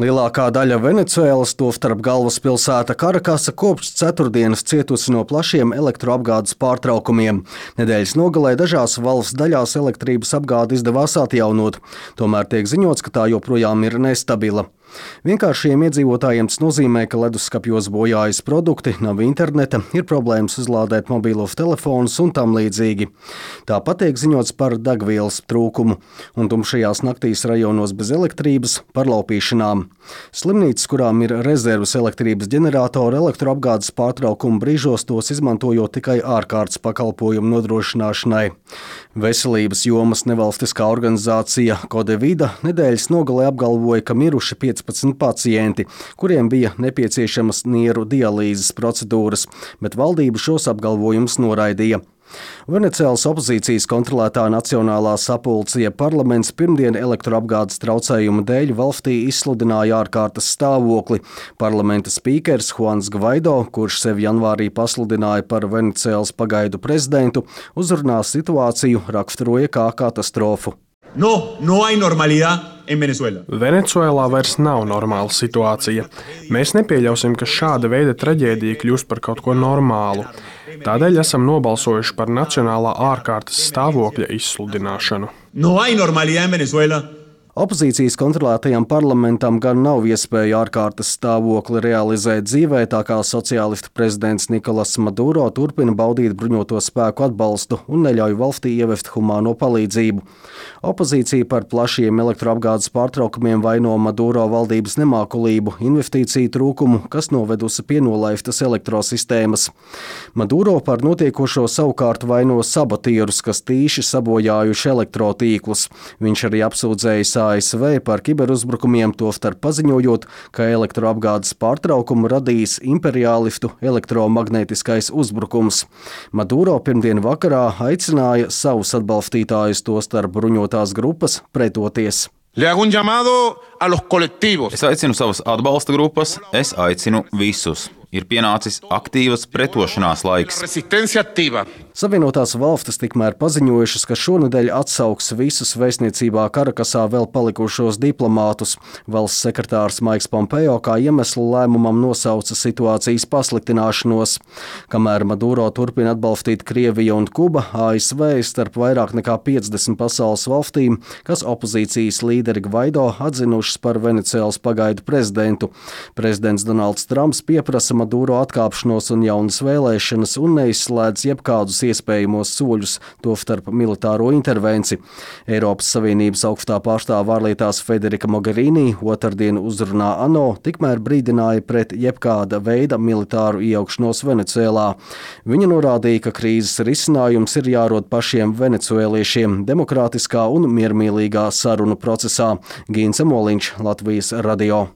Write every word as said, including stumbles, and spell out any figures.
Lielākā daļa Venecuēlas, tostarp galvaspilsēta Karakasa, kopš ceturtdienas cietusi no plašiem elektroapgādes pārtraukumiem. Nedēļas nogalē dažās valsts daļās elektrības apgādi izdevās atjaunot, tomēr tiek ziņots, ka tā joprojām ir nestabila. Vienkāršiem iedzīvotājiem tas nozīmē, ka leduskapjos bojājas produkti, nav interneta, ir problēmas uzlādēt mobilos telefonus un tam līdzīgi. Tāpat tiek ziņots par degvielas trūkumu un tumšajās naktīs rajonos bez elektrības, par laupīšanām. Slimnīcas, kurām ir rezerves elektrības ģeneratori, elektroapgādes pārtraukumu brīžos tos izmantojot tikai ārkārtas pakalpojumu nodrošināšanai. Veselības jomas nevalstiskā organizācija Kodevida nedēļas nogalē apgalvoja, ka miruši piecpadsmit pacienti, kuriem bija nepieciešamas nieru dialīzes procedūras, bet valdība šos apgalvojumus noraidīja. Venecuēlas opozīcijas kontrolētā Nacionālā sapulce parlaments pirmdien elektroapgādes traucējumu dēļ valstī izsludināja ārkārtas stāvokli. Parlamenta spīkers Juans Gvaido, kurš sevi janvārī pasludināja par Venecuēlas pagaidu prezidentu, uzrunā situāciju raksturoja kā katastrofu. No, no hay normalidad en Venezuela. Venecuēlā vairs nav normāla situācija. Mēs nepieļausim, ka šāda veida traģēdija kļūst par kaut ko normālu. Tādēļ esam nobalsojuši par nacionālā ārkārtas stāvokļa izsludināšanu. No hay normalidad en Venezuela. Opozīcijas kontrolētajam parlamentam gan nav iespēja ārkārtas stāvokli realizēt dzīvē, tā kā sociālistu prezidents Nikolas Maduro turpina baudīt bruņoto spēku atbalstu un neļauj valstī ievest humāno palīdzību. Opozīcija par plašiem elektroapgādes pārtraukumiem vaino Maduro valdības nemākulību, investīciju trūkumu, kas novedusi pie nolaistas elektrosistēmas. Maduro par notiekošo savukārt vaino sabotierus, kas tīši sabojājuši elektrotīklus. Viņš arī apsūdzējis A S V par kiberuzbrukumiem, tostarp paziņojot, ka elektroapgādes pārtraukumu radīs imperiālistu elektromagnētiskais uzbrukums. Maduro pirmdien vakarā aicināja savus atbalstītājus, tostarp bruņotās grupas, pretoties. Es aicinu savas atbalsta grupas, es aicinu visus. Ir pienācis aktīvas pretošanās laiks. Savienotās valstis tikmēr paziņojušas, ka šonedēļ atsauks visus vēstniecībā Karakasā vēl palikušos diplomātus. Valsts sekretārs Maiks Pompeo kā iemeslu lēmumam nosauca situācijas pasliktināšanos. Kamēr Maduro turpina atbalstīt Krieviju un Kuba, A S V starp vairāk nekā piecdesmit pasaules valstīm, kas opozīcijas līderi Gvaido atzinušas par Venecuēlas pagaidu prezidentu. Prezidents Donalds Trumps pieprasa Maduro atkāpšanos un jaunas vēlēšanas un neizslēdz jebkādus iespējamos soļus, tostarp militāro intervenciju. Eiropas Savienības augstā pārstāve ārlietās Federika Mogherini otrdien uzrunā ANO tikmēr brīdināja pret jebkāda veida militāru iejaukšanos Venecuēlā. Viņa norādīja, ka krīzes risinājums ir jārod pašiem venecuēliešiem demokrātiskā un miermīlīgā sarunu procesā. Gīns Emoliņš, Latvijas radio.